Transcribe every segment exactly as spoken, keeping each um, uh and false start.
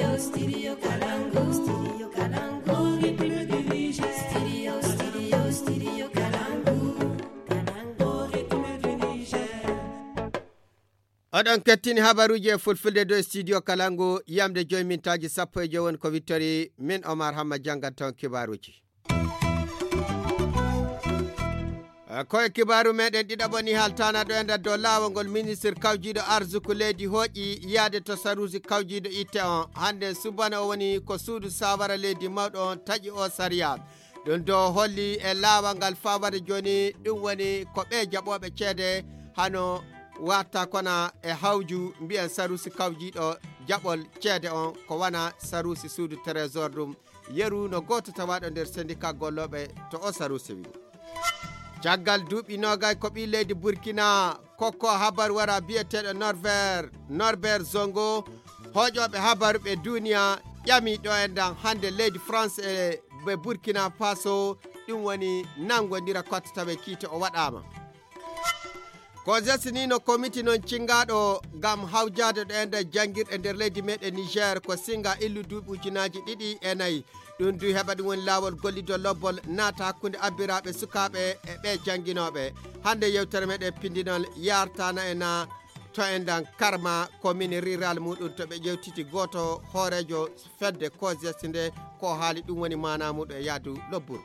Studio Kalangu, Studio Kalangu, Republic du Niger. Studio, Studio, Studio Kalangu, Kalangu, Republic du Niger. Oɗon kettini habaruuji e fulfulde dow studio Kalangu, yamde joyi mintaaji sappo e joyi woni ko wittori, min Omar Hamma janngat toon kibaaruuji. Eh, ko e kibaaru meɗen ɗiɗaɓo ni haltaana ɗo e nder dow laawol ngol ministre kawjiiɗo arsuku leydi hooƴi yaade to saruusi kawjiiɗo itte on. Hannde subana o woni ko suudu saawara leydi mawɗo on taƴi o sariya. Ɗum do holli e laawol ngal faawade jooni, ɗum woni ko ɓe jaɓooɓe ceede hano watta kona e hawju mbiyen saruusi kawjiiɗo jaɓol ceede on ko wana saruusi suudu trésor ɗum. Yeru no gooto tawaaɗo nder syndicat gollooɓe to o saruusi wi. Caggal duuɓi noogay ko ɓii leydi Burkina kokko habar wara biyeteeɗo Norbert, Norbert Zongo, hooƴooɓe habar ɓe duniya ƴami ɗo en dan hannde leydi France e ɓe Burkina Faso, ɗum woni nanngondira kotta tawe kiite o waɗaama. Ko jesinino komiti noon cinngaaɗo ngam hawjaade ɗo e nder janngirɗe nder leydi meɗen Niger ko singa illu duuɓi ujunaaji ɗiɗi e nayi. Ɗum du heɓa ɗum woni laawol gollido lobbol naata hakkunde abbiraaɓe sukaaɓe e ɓe jannginooɓe. Hannde yewtere meɗen pindinol yartana e na to en dan karma commune rural muɗum to ɓe ƴewtiti gooto hooreejo fedde kosiyasi nde ko haali ɗum woni maana muɗum e yaadu lobburu.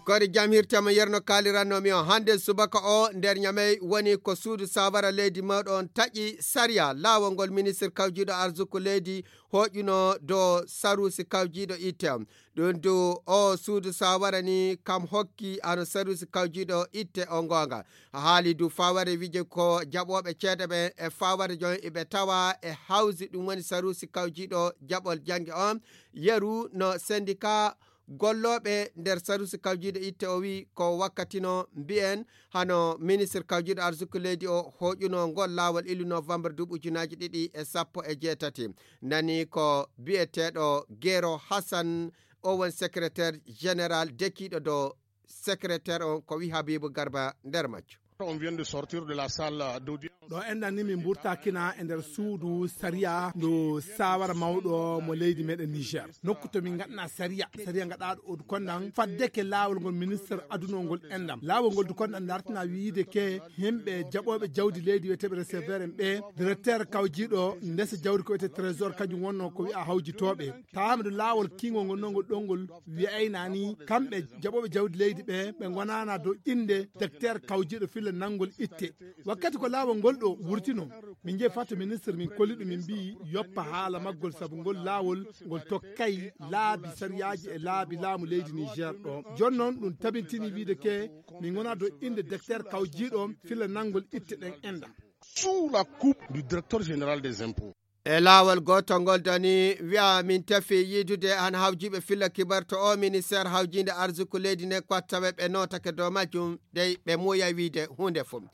Kori jam hirtama yerno kaalirannomi on hannde subaka o nder ñamey woni ko suudu sawara leydi mawɗo on taƴi sariya laawol ngol ministre kawjiiɗo arsuku leydi hooƴuno do sarusi kawjiiɗo itte on. Ɗum du o suudu sawara ni kam hokki ano sarusi kawjiiɗo itte o ngoonga. Haali du faware wije ko jaɓooɓe ceede ɓe e faware jon iɓe tawa e hawsi ɗum woni sarusi kawjiiɗo jaɓol jannge on. Yeru no sendika gollooɓe nder sarusi kawjiiɗo itte o wi ko wakkatino mbiyen hano ministre kawjiiɗo arsuku leydi o hooƴuno ngol laawol ilu novembre duuɓi ujunaaji ɗiɗi e sappo e jeetati. Nani ko biyeteeɗo Gero Hassan, o won secrétaire général dekiiɗo do secrétaire on ko wi Habibu Garba nder majjo. On vient de sortir de la salle d'audience. Ɗo enɗan ni min mburtakina e nder suudu sariya ndu sawara mawɗo mo leydi meɗen Niger. Nokku to min ngaɗna sariya, sariya ngaɗaɗo o konɗan faddeke laawol ngol ministre adunol ngol enɗam. Laawol ngol du konɗan dartina wiide ke yimɓe jaɓooɓe jawdi leydi wiyeteɓe receveur en ɓe, directeur kawjiiɗo ndesa jawdi ko wiyete trésor, kañum wonno ko wi'a hawjitooɓe. Tawa miɗo laawol kiingol ngol nongol ɗongol wi'ayna ni kamɓe jaɓooɓe jawdi leydi ɓe, ɓe ngonana dow innde docteur kawjiiɗo filla nanngol itte. Wakkati ko laawol ngol ɗo wurtino, min njehi faa to ministre, min kolli ɗum, min mbi'i yoppa haala maggol, sabu ngol laawol ngol tokkay laabi sariyaaji e laabi laamu leydi Niger ɗo. Jooni noon ɗum tabintini wiide ke min ngona dow innde docteur kawjiiɗo filla nanngol itte ɗen enɗam. Sous la coupe du directeur général des impôts. E laawol gootol ngol doni wi'a min tefi yiidude han hawjiiɓe filla kibar to o ministère hawjiinde arsuku leydi nden ko watta ɓe ɓe nootake dow majjum dey ɓe muuya wiide huunde fof.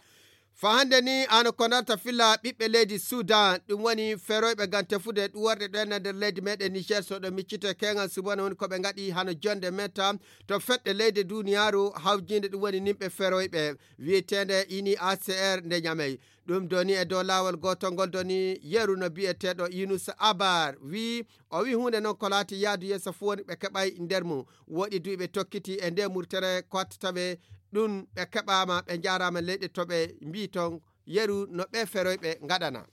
Fa hannde ni ano ko darta filla ɓiɓɓe leydi Sudan, ɗum woni feroyɓe ngam tefude ɗuworɗe ɗo enna nder leydi meɗen Niger, so ɗo miccite keŋal subana woni ko ɓe ngaɗi hano jonde metta to feɗɗe leyde duniyaaru hawjiinde, ɗum woni nimɓe feroyɓe wiyeteende ini A C R nde ñamey. Ɗum doni e dow laawol gootol ngol doni yeru no biyeteeɗo Yunus Abar wii, o wii huunde noon ko laati yaadu yeeso fof woni ɓe keɓay nder mum. Woɗi du ɓe tokkiti e nde murtere ko watta tawe ɗum ɓe keɓaama, ɓe njaaraama leyɗe to ɓe mbii toon yeru no ɓe feroyɓe ngaɗana.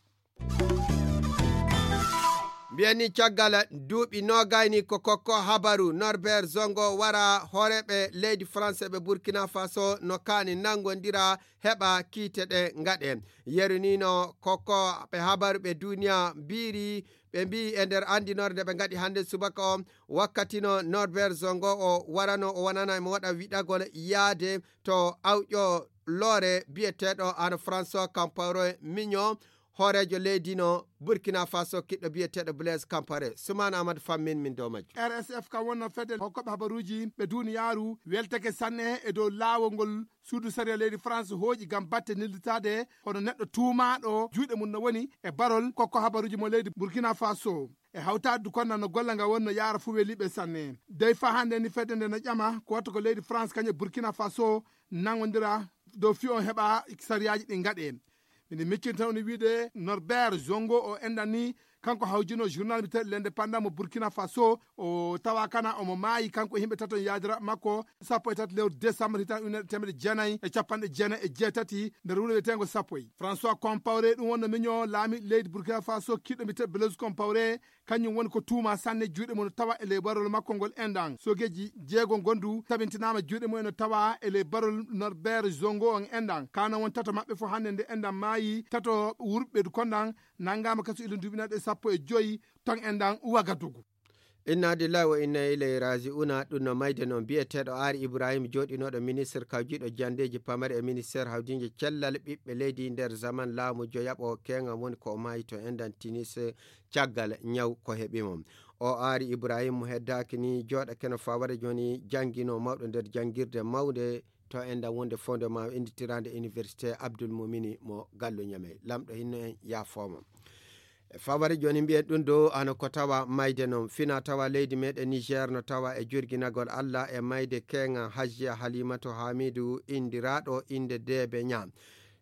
Mbiyen ni caggal duuɓi noogayni ko kokko habaru Norbert Zongo wara hooreeɓe leydi France ɓe Burkina Faso no kaani nanngondira heɓa kiite ɗe ngaɗe. Yeru ni no kokko ɓe habaru ɓe duniya mbiiri ɓe mbii e nder anndinoore nde ɓe ngaɗi hannde subaka o wakkati no Norbert Zongo o warano o wonana mo waɗa wiɗagol yaade to awƴo loore biyeteeɗo ano François Compaoré Mignon, hooreejo leydi no Burkina Faso kiɗɗo biyeteeɗo Blaise Compaoré. Sumaana Amadou Fammin min dow majjo. R S F kam wonno fedde hokkoɓe habaruuji ɓe duniyaaru weltake sanne e dow laawol ngol suudu sariya leydi France hooƴi ngam batte nillitaade hono neɗɗo tuumaaɗo juuɗe mum no woni e barol kokko habaruuji mo leydi Burkina Faso. E hawtaade du konna no golle nga wonno yaara fuu weliiɓe sanne. Dey faa hannde ni fedde nde no ƴama ko watta ko leydi France kañum e Burkina Faso nanngondira dow fii on heɓa sariyaaji ɗi ngaɗe. Ene miccin tan woni wiide Norbert Zongo o enɗan ni, kanko hawjino journal mbiyetee L'Indépendant mo Burkina Faso, o tawa kana omo maayi kanko e yimɓe tato e yaadira makko, sappo e tati lewru décembre hitan ujunere teemedde jeenayi e capanɗe jeenayi e jeetati nder wuro wiyeteengo Sappoy. François Compaoré ɗum wonno miño laami leydi Burkina Faso kiɗɗo mbiyetee Blaise Compaoré, kañum woni ko tuuma sanne juuɗe mum no tawa e ley barol makko ngol enɗan. Sogeeji jeego gondu tabintinaama juuɗe mum eno tawa e ley barol Norbert Zongo on enɗan. Kano won tato maɓɓe fof hannde nde enɗan maayi, tato wurɓe konɗan nanngaama kaso ila duuɓi naɗe sappo e joyi ton enɗan Wagadugu. Inna lillahi wa inna ilayhi raji'una. Ɗum no mayde noon biyeteeɗo Aari Ibrahim jooɗinooɗo ministre kawjiiɗo janndeeji pamare e ministère hawdiinje cellal ɓiɓɓe leydi nder zaman laamu joyaɓo keeŋam woni ko o maayi to enɗan Tunis caggal ñaw ko heɓi mo. O Aari Ibrahim mo heddaaki ni jooɗake no faware jooni janngino mawɗo nder janngirde mawnde to enɗan wonde fondement innditiraande université Abdoul Moumini mo Gallo Ñamey. Lamɗo hinno en yaafooma. E faware jooni mbiyen ɗum dow hano ko tawa mayde noon. Fina tawa leydi meɗen Niger no tawa e jurginagol Allah e mayde keeŋa Hajjiya Halimatu Hamidu indiraaɗo innde Deebe Ña.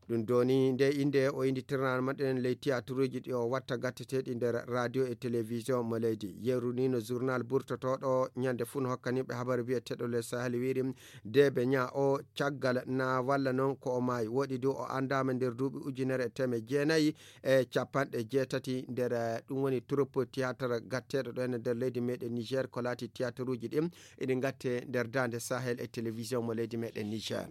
Ɗum doni nde innde o innditirnaa maɗen ley tiyatruuji ɗi o watta gatteteeɗi nder radio e télévision mo leydi. Yeru ni no journal burtotooɗo ñande fuu no hokkaniɓe habaru biyeteeɗo Le Sahel wiiri Deebe Ña o caggal na walla noon ko o maayi. Woɗi du o anndaama nder duuɓi ujunere e teeme jeenayi e capanɗe jeetati nder, eh, ɗum woni troupe théâtre gatteeɗo ɗo ene nder leydi meɗen Niger ko laati théâtruuji ɗin eɗi gatte nder daande Sahel e télévision mo leydi meɗen Niger.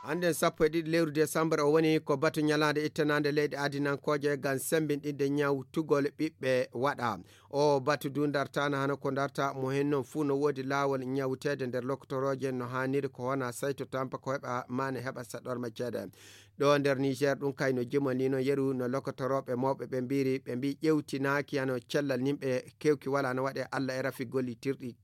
Hannden sappo e ɗiɗi lewru décembre o woni ko batu ñalaande ittanaande leyɗe adinankooje ngam semmbinɗinde ñawtugol ɓiɓɓe waɗa. O batu du dartaana hano ko darta mo hen noon fuu no woodi laawol ñawteede nder lokotorooje no haaniri ko wona sayto tampa ko heɓa maane heɓa saɗorma ceede. Ɗo nder Niger ɗum kay no jimani no yeru no lokotorooɓe mawɓe ɓe mbiiri ɓe mbi ƴewtinaaki hano cellal nimɓe kewki wala no waɗe Allah e rafi gollitirɗi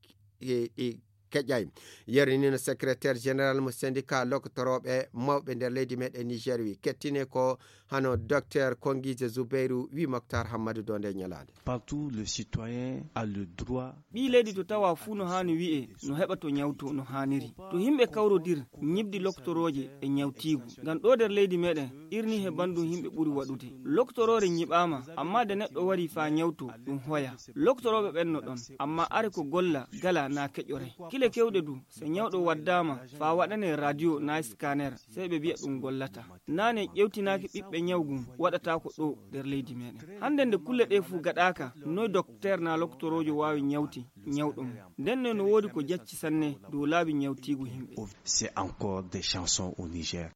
ɗi keƴay. Yeru ni no secrétaire général mo syndicat lokotorooɓe mawɓe nder leydi meɗen Niger wi kettine ko hano docteur Kongije Zubairu wi Moktar Hammadu do nde ñalaande. Partout le citoyen a le droit. Ɓii leydi to tawa fuu no haani wi'e no heɓa to ñawto no haaniri. To yimɓe kawrodir ñibdi loktorooje e ñawtiigu. Ngam ɗo nder leydi meɗen irni he banndum yimɓe ɓuri waɗude. Loktoroore ñiɓaama amma de neɗɗo wari faa ñawto ɗum hoya. Loktorooɓe ɓen no ɗon amma are ko golla gala na keƴore. Kile kewɗe du se ñawɗo waddaama faa waɗane radio na scanner sey ɓe mbiya ɗum gollata. Naane ƴewtinaaki ɓiɓɓe ñaw ngun waɗata ko ɗo nder leydi meɗen. Hannde nde kulle ɗe fuu gaɗaaka noy dokteer na loktoroojo waawi ñawti ñawɗo mum. Nden ne no woodi ko jacci sanne dow laabi ñawtiigu yimɓe. C'est encore des chansons au Niger.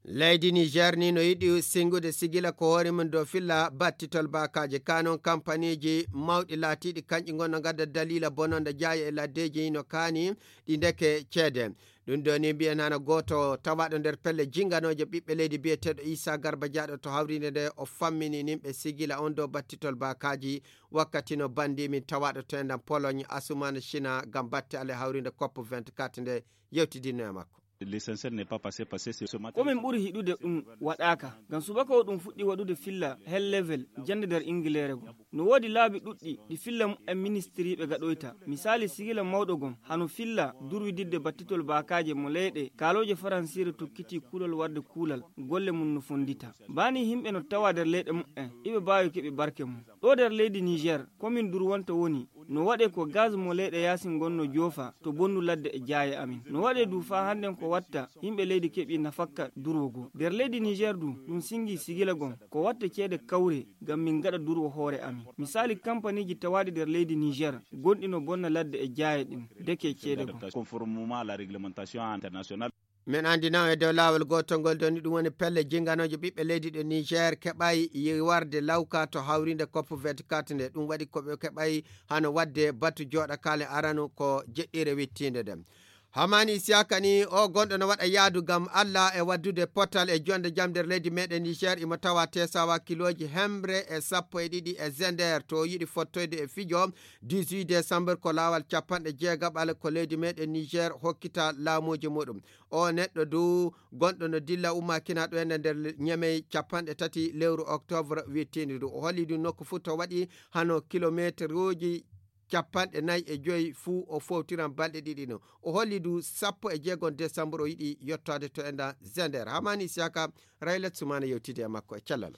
Leydi Niger ni no yiɗi singude sigila ko hoore mum dow filla battitol baakaaji. Kanon kampaniiji mawɗi laatiiɗi kanƴi ngon no ngadda daliila bononde jaaya e laddeeji no kaani ɗi ndeke ceede. Ɗum ɗo ni mbiyen hana gooto tawaaɗo nder pelle jinganooje ɓiɓɓe leydi biyeteeɗo Issa Garba Diaɗo to hawrinde nde o fammini nimɓe sigila on dow battitol baakaaji wakkati no banndi min tawaaɗo to enɗan Pologne Asuman China ngam batte ale hawrinde cop vingt-quatre nde yewtidinno e makko. L'essentiel n'est pas passé, parce que c'est ce matin. Ko min ɓuri hiɗude ɗum waɗaaka ngam subaka o ɗum fuɗɗi waɗude filla hel level jannde nder ingileere goo. No woodi laabi ɗuɗɗi ɗi filla mumen ministiriiɓe gaɗoyta. Misaali sigila mawɗo gom hano filla durwididde battitol baakaaje mo leyɗe kaalooje faransiire tokkiti kuulal warde kuulal golle mum no fonndita. Baa nii yimɓe no tawa nder leyɗe mumen iɓe mbaawi keɓi barke mum. Ɗo nder leydi Niger komin durwanta woni no waɗe ko gaz mo leyɗe yaasin ngon no joofa to bonndu ladde e jaaye amin. No waɗe du faa hannden ko watta yimɓe leydi keɓi nafakka durwo goo. Nder leydi Niger du ɗum singi sigila gom ko watte ceede kawre ngam min ngaɗa durwo hoore amin. Misaali kampaniiji tawaaɗi nder leydi Niger gonɗi no bonna ladde e jaaye ɗin deke ceede gom. Conformément à la réglementation internationale. Min anndi naw e dow laawol gootol ngol doni ɗum woni pelle jinganooje ɓiɓɓe leydi ɗo Niger keɓay yiwarde lawka to hawrinde cop vingt-quatre nde. Ɗum waɗi ko ɓe keɓay hano waɗde batu jooɗakaale arano ko jeɗɗire wittiinde nde. Hamani Isiyaka ni o gonɗo no waɗa yaadu ngam Allah e waddude potal e jonde jam nder leydi meɗen Niger imo tawa tesawa kilooji hemre e sappo e ɗiɗi e Zender to o yiɗi fottoyde e fijo dix-huit décembre ko laawal capanɗe jeegaɓal ko leydi meɗen Niger hokkita laamuuji muɗum. O neɗɗo du gonɗo no dilla ummakina ɗo ene nder ñemey capanɗe tati lewru octobre wittiindi ndu. O holli du nokku fuu to waɗi hano kilometeruuji capanɗe nayi e joyi fuu o fowtiran balɗe ɗiɗi ɗin. O holli du sappo e jeegom desambur o yiɗi yettoode to enɗan Zender. Hamani Isiyaka, Raylet Sumana yewtidi e makko e cellal.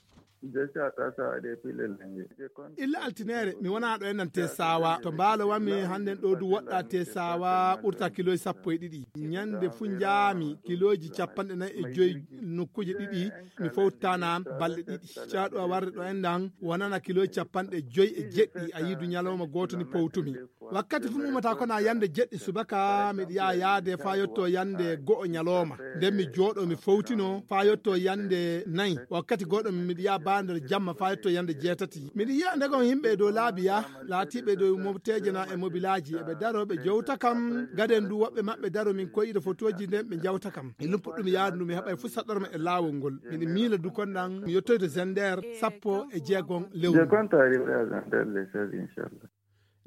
Illa altineere, mi wonaa ɗo enɗan Tesawa. To mbaalo wami hannden ɗo du woɗɗaa Tesawa ɓurta kilooji sappo e ɗiɗi. Ñande fuu njaami kilooji capanɗe nayi e joyi nokkuuje ɗiɗi, mi fowtaana balɗe ɗiɗi. Caaɗu a warde ɗo enɗan wonana kilooji capanɗe joyi e jeɗɗi, a yidu ñalawma gooto ni powtumi. Wakkati fuu mi ummata ko na yande jeɗɗi subaka, miɗo yaha yaade faa yotto yande go'o ñalawma. Nden mi jooɗo mi fowtino faa yotto yande nayi. Wakkati gooɗo miɗo yaha baa nder jamma faa yotto yande jeetati. Miɗo yi'a ndegon yimɓe e dow laabi ya, laatiiɓe dow mofteeje na e mobilaaji. Eɓe daro ɓe jowta kam. Gaden du woɓɓe maɓɓe daro min koyiɗo fotooji nden ɓe jawta kam. E ɗum puɗɗumi yaadu ndu mi heɓay fuu saɗɗorma e laawol ngol. Miɗo miila du kon ɗan mi yottoyto Zender sappo e jeegom lewru.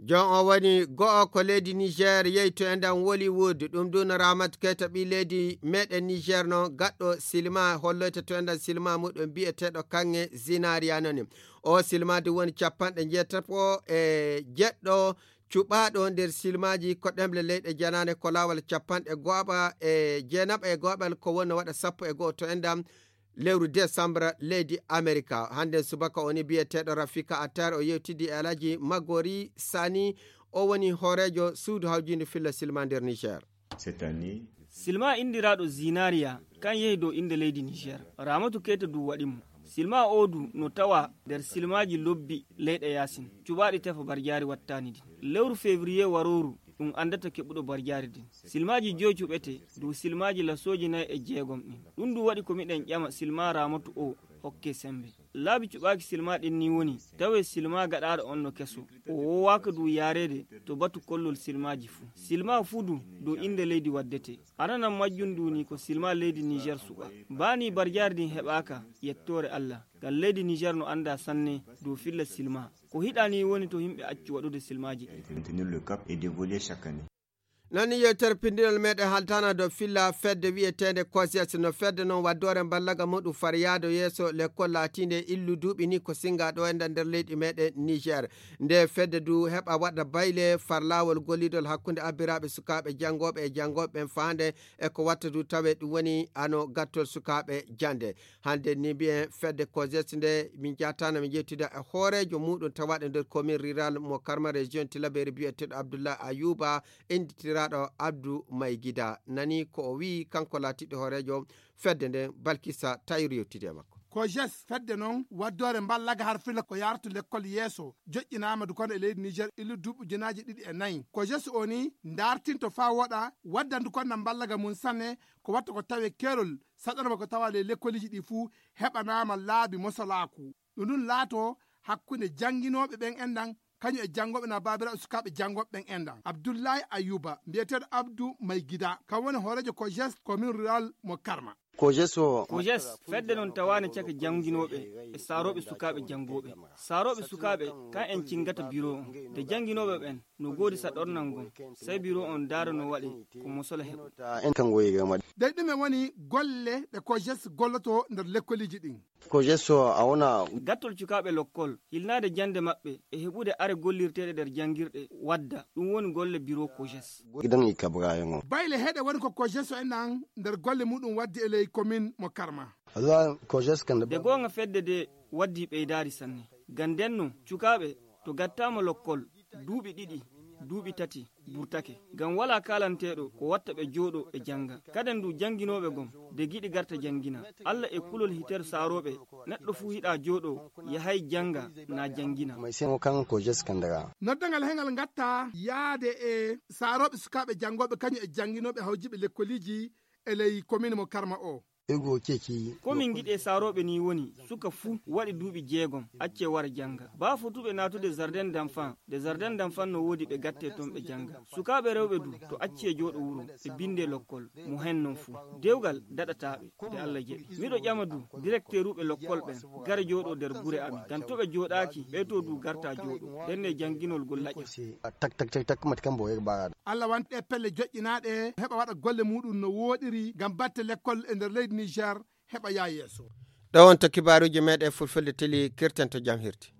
Jon o woni go'o ko leydi Niger yehi to enɗan Wollywood. Ɗum du no Ramatu Keita ɓii leydi meɗen Niger non gaɗɗo silima holloyta to enɗan silima muɗum bi'eteeɗo Kange Zinariya noni. O silima du woni capanɗe njeetati e jeɗɗo cuɓaaɗo nder silmaaji ko ɗemle leyɗe janaane ko laawol capanɗe go'aɓa e jeenaɓa e go'aɓal ko wonno waɗa sappo e go'o to enɗan lewru desambra leydi Amerika. Hannden subaka o ni bi'eteeɗo Rafika Attar o yewtidi e Alhaji Magori Sani, o woni hooreejo suudu hawjiindu filla silma nder Niger. Silma inndiraaɗo Zinariya kan yehi dow innde leydi Niger. Ramatu Keita du waɗi mo. Silma o du no tawa nder silmaaji lobbi leyɗe yaasin cuɓaaɗi tefa barjaari wattaani din. Lewru février warooru ɗum anndata keɓuɗo barjaari din. Silmaaji joy cuɓete dow silmaaji lasooji nayi e jeegom ɗin. Ɗum du waɗi ko miɗen ƴama silma Ramatu o hokke sembe. Laabi cuɓaaki silma ɗin ni woni tawe silma gaɗaaɗo on no keso. O woowaaka du yaareede to batu kollol silmaaji fuu. Silma fuu du dow innde leydi waddete. Aranan majjum du ni ko silma leydi Niger suɓa. Baa ni barjaari din heɓaaka, yettoore Alla. Ngam leydi Niger no anndaa sanne dow filla silma. Ko hiɗa ni woni to yimɓe accu waɗude silmaaji ɗin. Non ni yewtere pinndinol meɗen haltana dow filla fedde wi'eteende kosias. No fedde non waddoore mballaga muɗum far yaado yeeso lekkol laatiinde illu duuɓi ni ko singa ɗo enɗan nder leydi meɗen Niger. Nde fedde du heɓa waɗa bayle far laawol gollidol hakkunde abbiraaɓe sukaaɓe janngooɓe e janngooɓe ɓen faande e ko watta du tawe ɗum woni ano gattol sukaaɓe jannde. Hannde ni mbiyen fedde kosias nde min jaatana min yewtida e hooreejo muɗum tawaɗo nder commune rural mo Karma région Tilaberi biyeteeɗo Abdullah Ayuba, innditiraaɗo Abdou Maygida. Nani ko o wi'i kanko laatiiɗo hooreejo fedde nden, Balkisa Tayru yewtidi e makko. Kojes fedde non waddoore mballaga har filla ko yartu lekkol yeeso joƴƴinaama du kono e leydi Niger illu duuɓi ujunaaji ɗiɗi e nayi. Kojes o ni ndartinto faa woɗa waddandu konna mballaga mum sanne ko watta ko tawe keerol saɗanama ko tawa ley lekkoliji ɗi fuu heɓanaama laabi mosalaaku. Ɗum ɗum laato hakkunde jannginooɓe ɓen enɗan kañum e janngooɓe na baabiraaɓe sukaaɓe janngooɓe ɓen enɗan. Abdullahi Ayuba mbiyeteeɗo Abdu Maygida kam woni hooreejo Kojes commune rural mo Karma. Kojes o Kojes fedde non tawaani caka jannginooɓe e saarooɓe sukaaɓe janngooɓe. Saarooɓe sukaaɓe kan en cingata biro on nde jannginooɓe ɓen no goodi saɗornal ngon. Sey biro on daara no waɗi ko mosola heɓu. Dey ɗume woni golle ɗe Kojes golloto nder lekkoliji ɗin? Kojes o a wona. Gattol cukaaɓe lokkol, hilnaade jannde maɓɓe e heɓude are gollirteeɗe nder janngirɗe wadda, ɗum woni golle biro Kojes. Gidan i kabra yango. Bayle heɗe woni ko Kojes o enɗan nder golle muɗum waddi e ley commune mo Karma. Alwa Kojes kan. De goonga fedde de waddi ɓeydaari sanne. Gam ndenno cukaaɓe to gattaama lokkol duuɓi ɗiɗi, duuɓi tati burtake. Gam walaa kaalanteeɗo ko watta ɓe jooɗo ɓe jannga. Kaden du jannginooɓe gom de giɗi garta janngina. Alla e kulol hiter saarooɓe neɗɗo fuu hiɗa jooɗo yahay jannga na janngina. May semo kan Kojes kan daga. Noddangal hengal ngatta yaade e saarooɓe sukaaɓe janngooɓe kañum e jannginooɓe hawjiiɓe lekkoliji e ley commune mo Karma o. Ego ceci. Ko min ngiɗi e saarooɓe nii woni suka fuu waɗi duuɓi jeegom accee wara jannga. Baa fotuɓe naatude jardin d'enfant de jardin d'enfant no woodi ɓe gattee ton ɓe jannga. Sukaaɓe rewɓe du to accee jooɗo wuro ɓe binndee lokkol mo hen non fuu. Dewgal daɗataa ɓe de Alla jaɓi. Miɗo ƴama du direkteeruuɓe lokkol ɓen gara jooɗoo nder gure amin gam to ɓe jooɗaaki ɓee too du gartaa jooɗoo ndenne jannginol gol laƴa. Tak tak tak tak mati kam bo e ɓaaraɗo. Alla wanti ɗee pelle joƴƴinaaɗe heɓa waɗa golle muuɗum no wooɗiri ngam batte lekkol e nder leydi Niger heɓa yaa yeeso. Ɗo wonto kibaaruuji meeɗen fulfulde teli kirten to jam hirti.